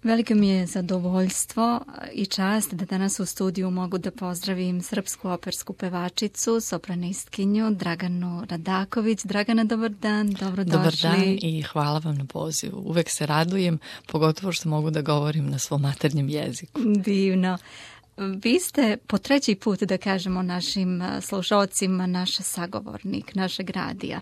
Veliko mi je zadovoljstvo i čast da danas u studiju mogu da pozdravim srpsku opersku pevačicu, sopranistkinju Draganu Radaković. Dragana, dobar dan, dobrodošli. Dobar dan i hvala vam na pozivu. Uvek se radujem, pogotovo što mogu da govorim na svom maternjem jeziku. Divno. Vi ste po treći put, da kažemo našim slušalcima, naš sagovornik, našeg radija.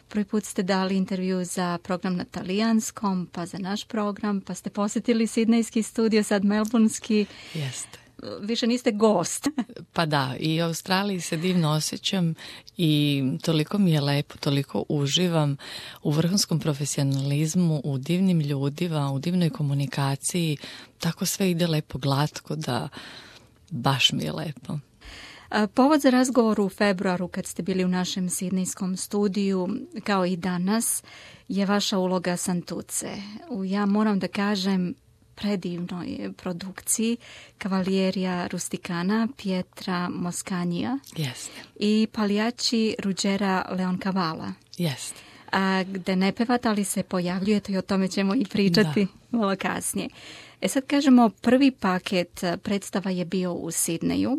Prvi put ste dali intervju za program na talijanskom, pa za naš program, pa ste posjetili sidnejski studio, sad melburnski. Jeste. Više niste gost. Pa da, i u Australiji se divno osjećam i toliko mi je lepo, toliko uživam u vrhunskom profesionalizmu, u divnim ljudima, u divnoj komunikaciji. Tako sve ide lepo, glatko, da baš mi je lepo. Povod za razgovor u februaru kad ste bili u našem sidnejskom studiju, kao i danas, je vaša uloga Santuce. Ja moram da kažem predivnoj produkciji Cavalleria Rusticana Pietra Moscanija i Pagliacci Ruggera Leoncavala. Jeste. Gde ne pevate, ali se pojavljujete i o tome ćemo i pričati malo kasnije. Sad kažemo, prvi paket predstava je bio u Sidneju,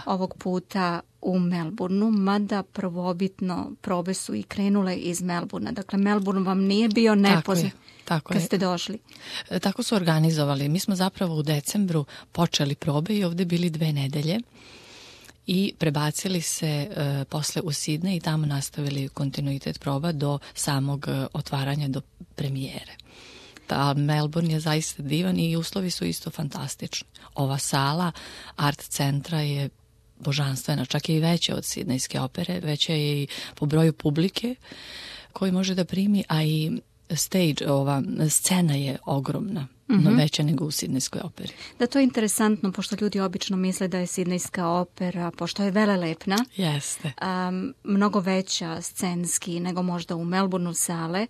ovog puta u Melbourneu, mada prvobitno probe su i krenule iz Melbournea. Dakle, Melbourne vam nije bio nepoznat kad ste došli. Tako su organizovali. Mi smo zapravo u decembru počeli probe i ovdje bili 2 nedelje i prebacili se posle u Sidnej i tamo nastavili kontinuitet proba do samog otvaranja, do premijere. Melbourne je zaista divan i uslovi su isto fantastični. Ova sala art centra je božanstvena, čak je i veća od sidnejske opere, veća je i po broju publike koji može da primi, a i stage, ova scena je ogromna, no veća nego u sidnejskoj operi. Da, to je interesantno, pošto ljudi obično misle da je sidnejska opera, pošto je velelepna, mnogo veća scenski nego možda u Melbourneu sale.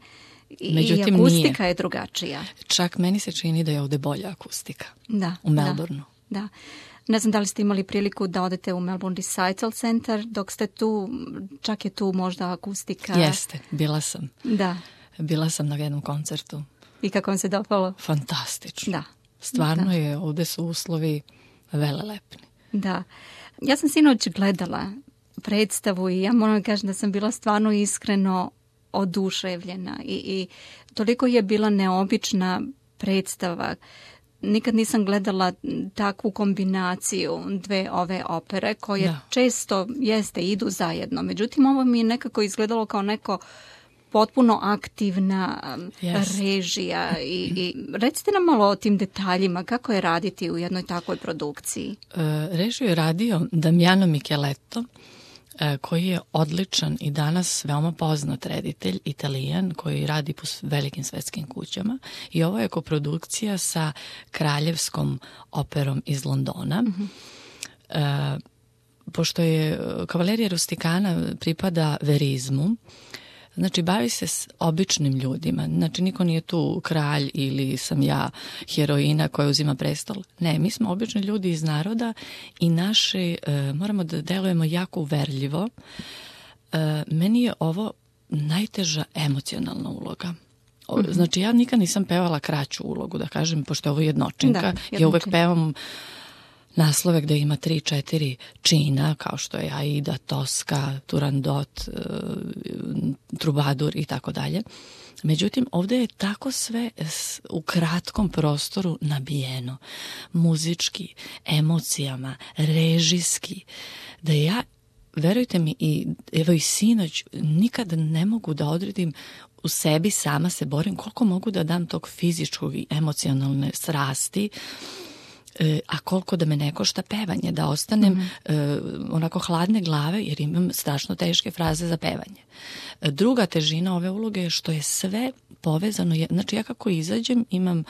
Međutim, i akustika nije. Je drugačija. Čak meni se čini da je ovdje bolja akustika u Melbourneu. Da. Ne znam da li ste imali priliku da odete u Melbourne Recital Center dok ste tu, čak je tu možda akustika. Jeste, bila sam. Da. Bila sam na jednom koncertu. I kako vam se dopalo? Fantastično. Da. Stvarno je, ovdje su uslovi velelepni. Da. Ja sam sinoć gledala predstavu i ja moram kažem da sam bila stvarno iskreno oduševljena i toliko je bila neobična predstava. Nikad nisam gledala takvu kombinaciju dve ove opere koje često idu zajedno. Međutim, ovo mi je nekako izgledalo kao neko potpuno aktivna režija i recite nam malo o tim detaljima, kako je raditi u jednoj takvoj produkciji. Režiju je radio Damiano Micheletto, koji je odličan i danas veoma poznat reditelj, Italijan, koji radi po velikim svetskim kućama. I ovo je koprodukcija sa Kraljevskom operom iz Londona. Pošto je Cavalleria Rusticana pripada verizmu, znači bavi se s običnim ljudima. Znači niko nije tu kralj ili sam ja heroina koja uzima prestol. Ne, mi smo obični ljudi iz naroda i naši moramo da delujemo jako uverljivo. Meni je ovo najteža emocionalna uloga. Znači ja nikad nisam pevala kraću ulogu, da kažem, pošto je ovo jednočinka. Ja uvek pevam naslove gde ima 3-4 čina, kao što je Aida, Tosca, Turandot, Trubadur i tako dalje. Međutim, ovdje je tako sve u kratkom prostoru nabijeno. Muzički, emocijama, režijski, da ja, verujte mi, evo i sinoć, nikad ne mogu da odredim u sebi, sama se borim koliko mogu da dam tog fizičkog i emocionalne strasti, a koliko da me ne košta pevanje, da ostanem onako hladne glave jer imam strašno teške fraze za pevanje. Druga težina ove uloge je što je sve povezano, znači ja kako izađem imam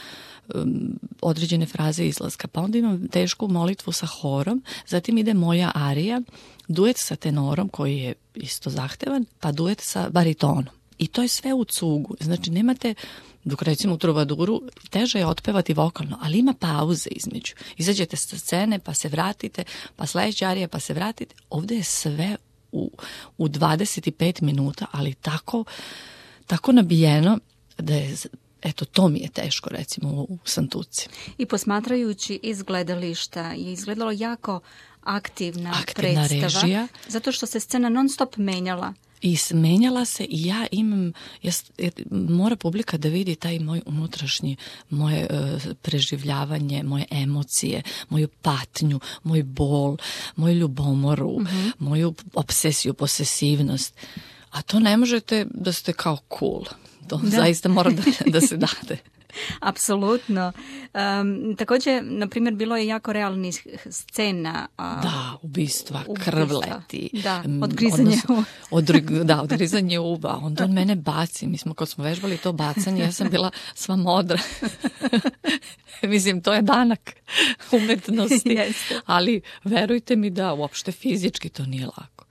određene fraze izlaska, pa onda imam tešku molitvu sa horom, zatim ide moja arija, duet sa tenorom koji je isto zahtevan, pa duet sa baritonom. I to je sve u cugu, znači nemate, dok recimo u Trubaduru teže je otpevati vokalno, ali ima pauze između. Izađete sa scene, pa se vratite, pa sledeća arija, pa se vratite. Ovdje je sve u 25 minuta, ali tako nabijeno da je Eto, to mi je teško, recimo, u Santuci. I posmatrajući iz gledališta je izgledalo jako aktivna Aktivna predstava, režija. zato što se scena non stop menjala. I menjala se i ja imam, mora publika da vidi taj moj unutrašnji, moje preživljavanje, moje emocije, moju patnju, moj bol, moju ljubomoru, moju obsesiju, posesivnost. A to ne možete da ste kao cool. To zaista mora da se dade. Apsolutno. Također, na primjer, bilo je jako realnih scena. Da, ubistva, krvleti. Da, odgrizanje uva. Odgrizanje uva. Onda on mene baci. Kad smo vežbali to bacanje, ja sam bila sva modra. Mislim, to je danak umetnosti. Ali verujte mi da uopšte fizički to nije lako.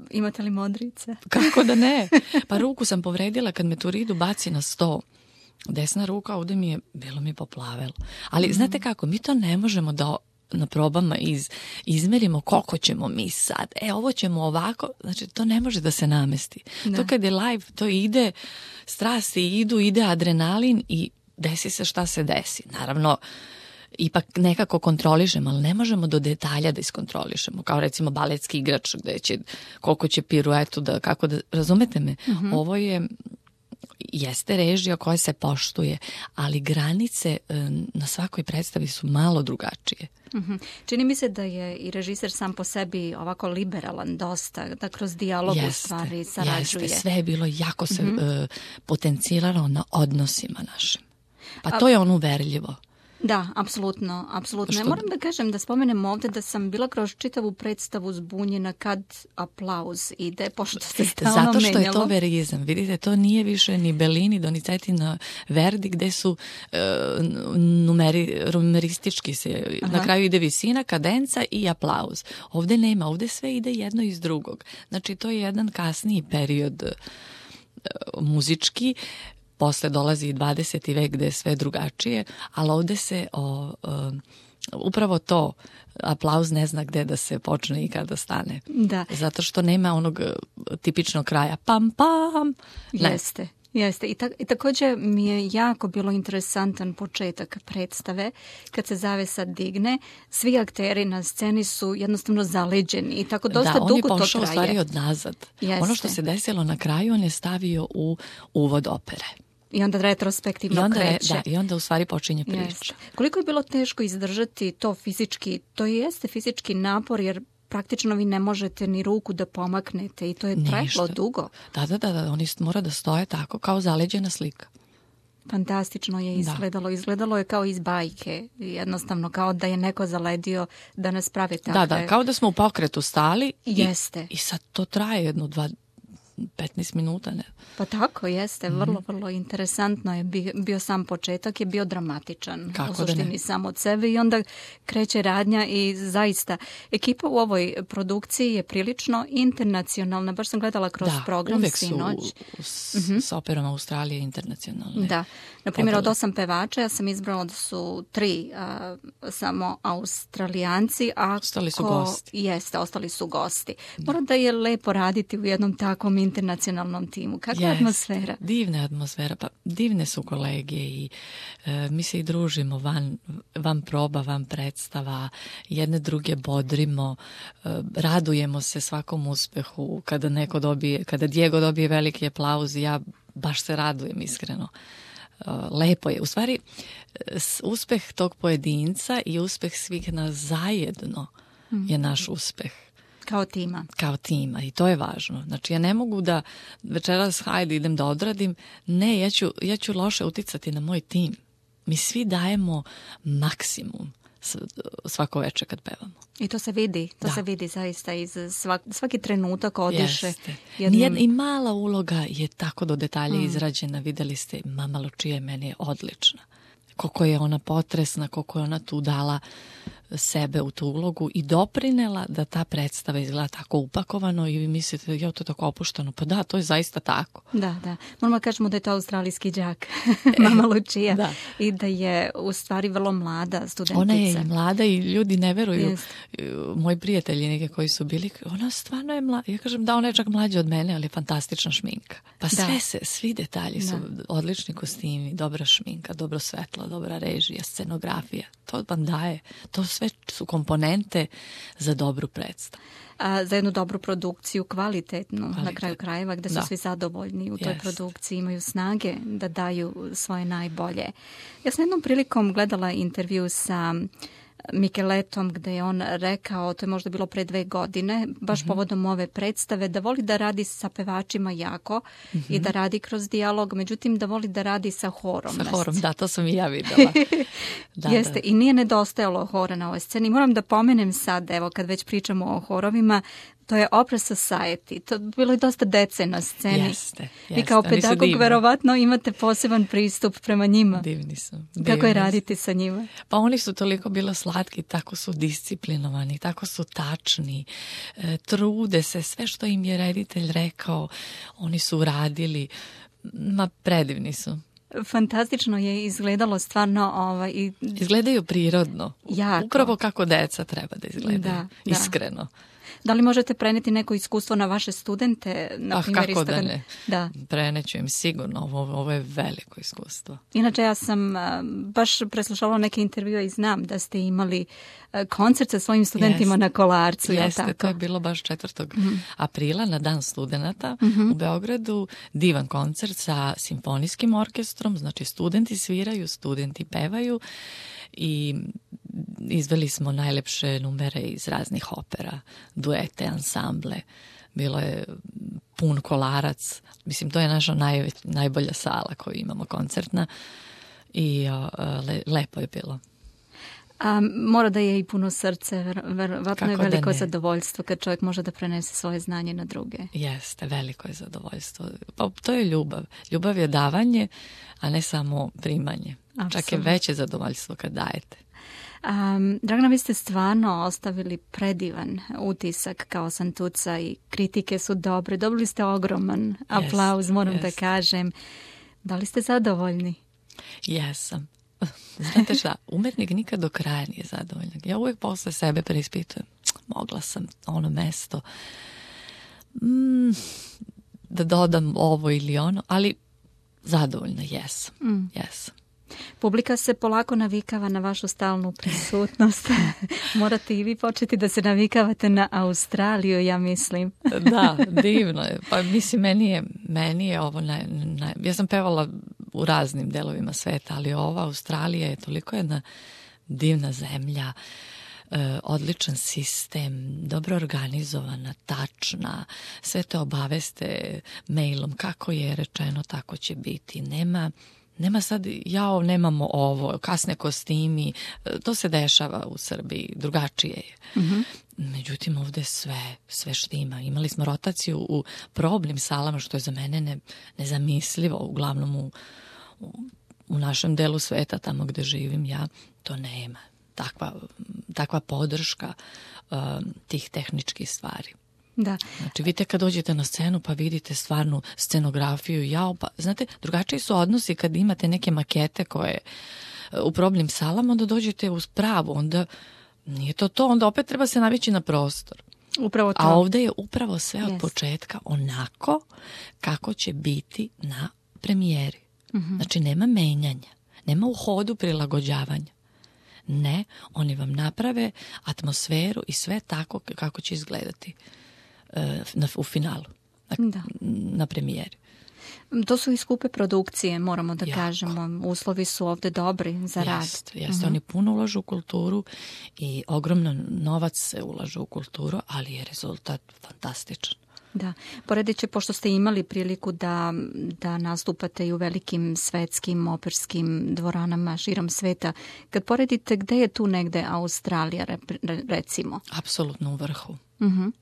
Imate li modrice? Kako da ne? Pa ruku sam povredila kad me Turidu baci na sto. Desna ruka, ovdje bilo mi poplavelo. Ali znate kako, mi to ne možemo da na probama izmerimo koliko ćemo mi sad. Ovo ćemo ovako, znači to ne može da se namesti. Da. To kad je live, to ide, strasti idu, ide adrenalin i desi se šta se desi. Naravno, ipak nekako kontrolišemo, ali ne možemo do detalja da iskontrolišemo. Kao recimo baletski igrač, koliko će piruetu, razumete me? Ovo jeste režija koja se poštuje, ali granice na svakoj predstavi su malo drugačije. Čini mi se da je i režiser sam po sebi ovako liberalan dosta, da kroz dijalog u stvari sarađuje. Jeste, sve je bilo jako se potenciralo na odnosima našim. Pa to je ono uverljivo. Da, apsolutno. Ja moram da kažem, da spomenem ovdje da sam bila kroz čitavu predstavu zbunjena kad aplauz ide, pošto se stalno menjalo. Zato što je to verizam. Vidite, to nije više ni Bellini, Donizetti na Verdi, gde su numeristički se, na kraju ide visina, kadenca i aplauz. Ovdje nema, ovdje sve ide jedno iz drugog. Znači, to je jedan kasniji period muzički. Posle dolazi i 20. vek gde je sve drugačije, ali ovdje se upravo to, aplauz ne zna gde da se počne i kada stane. Da. Zato što nema onog tipičnog kraja pam pam. Jeste. I također mi je jako bilo interesantan početak predstave. Kad se zavesa digne, svi akteri na sceni su jednostavno zaleđeni i tako dosta dugo to traje. Da, on je pošao u stvari od nazad. Jeste. Ono što se desilo na kraju, on je stavio u uvod opere. I onda retrospektivno kreće. Da, i onda u stvari počinje priča. Jeste. Koliko je bilo teško izdržati to fizički, to jeste fizički napor, jer praktično vi ne možete ni ruku da pomaknete i to je trajalo dugo. Da, oni mora da stoje tako kao zaleđena slika. Fantastično je izgledalo. Da. Izgledalo je kao iz bajke. Jednostavno kao da je neko zaledio da nas prave takve. Da, kao da smo u pokretu stali. Jeste. I sad to traje 15 minuta, ne? Pa tako, jeste. Vrlo interesantno je bio sam početak, je bio dramatičan. Kako u suštini sam od sebe i onda kreće radnja i zaista ekipa u ovoj produkciji je prilično internacionalna. Baš sam gledala kroz program sinoć. Uvek su s operom Australije internacionalne. Da. Naprimjer, od 8 pevača ja sam izbrala da su 3 samo Australijanci. Ostali su gosti. Jeste, ostali su gosti. Mora da je lepo raditi u jednom takvom internacionalnom timu. Kakva je atmosfera? Divna atmosfera, pa divne su kolege i mi se i družimo van proba, van predstava, jedne druge bodrimo, radujemo se svakom uspehu, kada Diego dobije veliki aplauz, ja baš se radujem iskreno. Lepo je. U stvari, uspeh tog pojedinca i uspeh svih nas zajedno je naš uspeh. Kao tima i to je važno. Znači ja ne mogu da večeras idem da odradim. Ne, ja ću loše uticati na moj tim. Mi svi dajemo maksimum svako večer kad pevamo. I to se vidi. Se vidi zaista iz svaki trenutak odiše. I mala uloga je tako do detalja izrađena. Videli ste, Mama Lucia meni je odlična. Koliko je ona potresna, koliko je ona tu dala sebe u tu ulogu i doprinela da ta predstava izgleda tako upakovano i vi mislite, to je tako opušteno. Pa da, to je zaista tako. Da. Moramo kažemo da je to australijski đak, mama Lucia. Da. I da je u stvari vrlo mlada studentica. Ona je i mlada i ljudi ne veruju. Moji prijatelji neke koji su bili, ona stvarno je mlada. Ja kažem da, ona je čak mlađa od mene, ali je fantastična šminka. Pa svi detalji su odlični kostimi, dobra šminka, dobro svetlo, dobra režija, scenografija. To vam daje. To sve su komponente za dobru predstavu. Za jednu dobru produkciju, kvalitetnu, na kraju krajeva, gde su svi zadovoljni u toj produkciji, imaju snage da daju svoje najbolje. Ja sam jednom prilikom gledala intervju sa Micheletom gde je on rekao, to je možda bilo pre 2 godine, baš povodom ove predstave, da voli da radi sa pevačima jako i da radi kroz dijalog, međutim da voli da radi sa horom. Sa horom, da, to sam i ja videla. Jeste, i nije nedostajalo hora na ovoj sceni. Moram da pomenem sad, evo kad već pričamo o horovima, to je Opera Society. To bilo je dosta dece na sceni. Jeste. Vi kao pedagog verovatno imate poseban pristup prema njima. Divni su. Kako je raditi sa njima? Pa oni su toliko bilo slatki, tako su disciplinovani, tako su tačni, trude se, sve što im je reditelj rekao, oni su uradili. Predivni su. Fantastično je izgledalo stvarno. Izgledaju prirodno. Jako. Upravo kako deca treba da izgledaju. Iskreno. Da li možete preneti neko iskustvo na vaše studente? Na primjer, kako da ne? Da. Preneću im sigurno. Ovo je veliko iskustvo. Inače, ja sam baš preslušala neke intervjue i znam da ste imali koncert sa svojim studentima na Kolarcu. Jeste, to je bilo baš 4. aprila na Dan studenata u Beogradu. Divan koncert sa simfonijskim orkestrom. Znači, studenti sviraju, studenti pevaju i izveli smo najlepše numere iz raznih opera, duete, ansamble. Bilo je pun Kolarac. Mislim, to je naša najbolja sala koju imamo koncertna i lepo je bilo. Mora da je i puno srce, verovatno je veliko zadovoljstvo kad čovjek može da prenese svoje znanje na druge. Jeste, veliko je zadovoljstvo. Pa to je ljubav. Ljubav je davanje, a ne samo primanje. Absolutno. Čak je veće zadovoljstvo kad dajete. Dragana, vi ste stvarno ostavili predivan utisak kao Santuca i kritike su dobre. Dobili ste ogroman aplauz, moram da kažem. Da li ste zadovoljni? Jesam. Znate šta, umetnik nikad do kraja nije zadovoljan. Ja uvijek posle sebe preispitujem. Mogla sam ono mesto da dodam ovo ili ono, ali zadovoljna jesam. Jesam. Publika se polako navikava na vašu stalnu prisutnost. Morate i vi početi da se navikavate na Australiju, ja mislim. Da, divno je. Pa mislim, meni je ovo ja sam pevala u raznim delovima sveta, ali ova Australija je toliko jedna divna zemlja, odličan sistem, dobro organizovana, tačna, sve te obaveste mailom, kako je rečeno, tako će biti. Nema sad, nemamo ovo, kasne kostimi, to se dešava u Srbiji, drugačije je. Međutim, ovdje sve štima. Imali smo rotaciju u probnim salama, što je za mene nezamislivo, uglavnom u našem delu sveta, tamo gdje živim ja, to nema. Takva podrška tih tehničkih stvari. Da. Znači, vidite kad dođete na scenu pa vidite stvarnu scenografiju, znate, drugačiji su odnosi kad imate neke makete koje u probnim salama, onda dođete uz pravu, onda nije to, onda opet treba se navići na prostor. Upravo to. A ovdje je upravo sve od početka onako kako će biti na premijeri. Znači, nema menjanja, nema u hodu prilagođavanja. Ne, oni vam naprave atmosferu i sve tako kako će izgledati u finalu, na premijeri. To su i skupe produkcije, moramo da kažemo. Uslovi su ovdje dobri za rad. Jeste. Oni puno ulažu u kulturu i ogromno novac se ulažu u kulturu, ali je rezultat fantastičan. Da, poredeći, pošto ste imali priliku da nastupate i u velikim svetskim operskim dvoranama širom sveta, kad poredite, gde je tu negde Australija, recimo? Apsolutno u vrhu.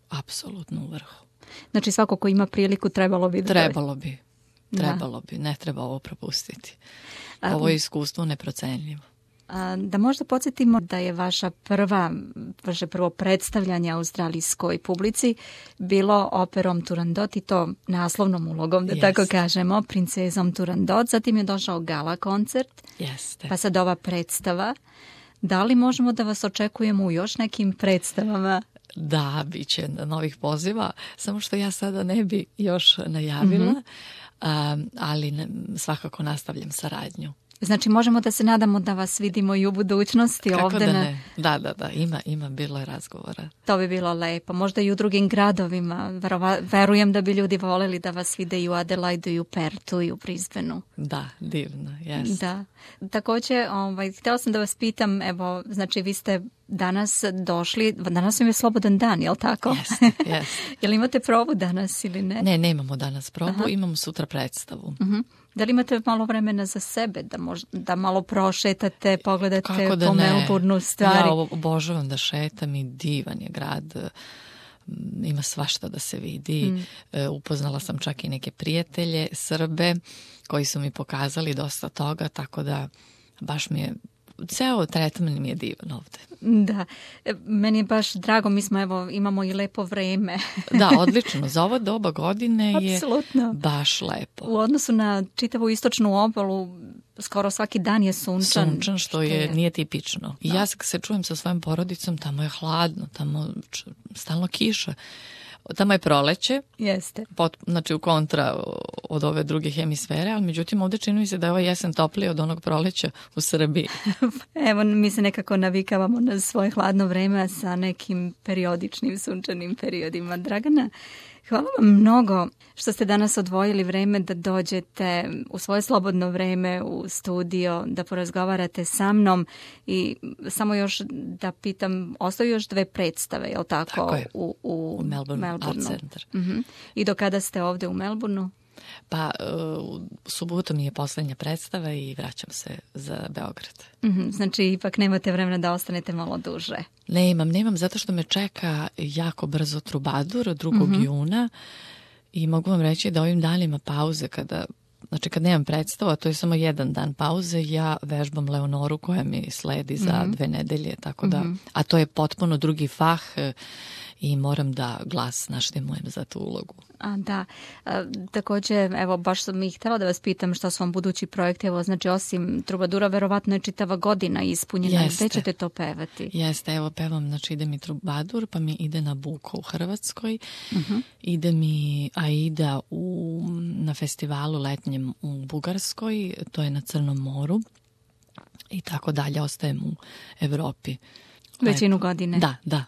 Apsolutno u vrhu. Znači, svako ko ima priliku trebalo bi. Ne treba ovo propustiti. Ovo je iskustvo neprocenljivo. Da možda podsjetimo da je vaše prvo predstavljanje australijskoj publici bilo operom Turandot i to naslovnom ulogom, da tako kažemo, princezom Turandot. Zatim je došao gala koncert, pa sad ova predstava. Da li možemo da vas očekujemo u još nekim predstavama? Da, bit će novih poziva, samo što ja sada ne bi još najavila, ali svakako nastavljam saradnju. Znači možemo da se nadamo da vas vidimo i u budućnosti. Kako ovde da ne? Da, ima bilo je razgovora. To bi bilo lepo. Možda i u drugim gradovima. Verujem da bi ljudi voleli da vas vide i u Adelaidu, i u Pertu, i u Brisbaneu. Da, divno, jes. Da. Također, htjela sam da vas pitam, evo, znači vi ste danas došli, danas vam je slobodan dan, je li tako? Jes. Jel imate probu danas ili ne? Ne, nemamo danas probu, imamo sutra predstavu. Da li imate malo vremena za sebe, da malo prošetate, pogledate po Melbourneu stvari? Ja obožavam da šetam i divan je grad, ima svašta da se vidi. Upoznala sam čak i neke prijatelje, Srbe, koji su mi pokazali dosta toga, tako da baš mi je, ceo tretman mi je divan ovde. Da, meni je baš drago, mi smo imamo i lepo vreme. Da, odlično, za ovo doba godine je baš lepo. U odnosu na čitavu istočnu obalu, skoro svaki dan je sunčan. Sunčan, što nije tipično. I ja se čujem sa svojom porodicom, tamo je hladno, tamo stalno kiša. Tamo je proleće, jeste. Znači u kontra od ove druge hemisfere, ali međutim ovdje čini mi se da je ovaj jesen topliji od onog proleća u Srbiji. Evo, mi se nekako navikavamo na svoje hladno vreme sa nekim periodičnim sunčanim periodima. Dragana, hvala vam mnogo što ste danas odvojili vreme da dođete u svoje slobodno vreme u studio, da porazgovarate sa mnom i samo još da pitam, ostaju još 2 predstave, je li tako? Tako je, u Melbourneu Art Center. I do kada ste ovdje u Melbourneu? Pa u subotu mi je posljednja predstava i vraćam se za Beograd. Znači ipak nemate vremena da ostanete malo duže. Nemam, zato što me čeka jako brzo Trubadur 2. juna i mogu vam reći da ovim danima pauze kad nemam predstavu, a to je samo jedan dan pauze, ja vežbam Leonoru koja mi sledi za 2 nedelje, tako da, a to je potpuno drugi fah i moram da glas naštimujem za tu ulogu. Da, također, evo, baš sam ih htjela da vas pitam šta su vam budući projekti, evo, znači osim Trubadura, verovatno je čitava godina ispunjena. Gde ćete to pevati? Jeste, evo pevam, znači ide mi Trubadur, pa mi ide Nabuko u Hrvatskoj, ide mi Aida na festivalu letnjem u Bugarskoj, to je na Crnom moru i tako dalje, ostajem u Evropi. Većinu godine? Da.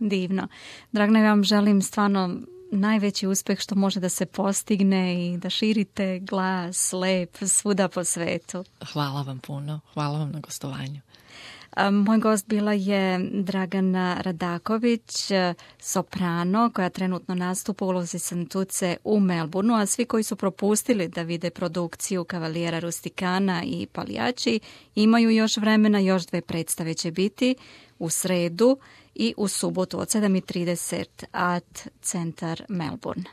Divno. Dragana, ja vam želim stvarno najveći uspeh što može da se postigne i da širite glas lep svuda po svetu. Hvala vam puno. Hvala vam na gostovanju. Moj gost bila je Dragana Radaković, soprano, koja trenutno nastupa u ulozi Santuce u Melbourneu, a svi koji su propustili da vide produkciju Kavalijera Rustikana i Paljači imaju još vremena, još 2 predstave će biti u sredu i u subotu od 7:30 Art Centar Melbourne.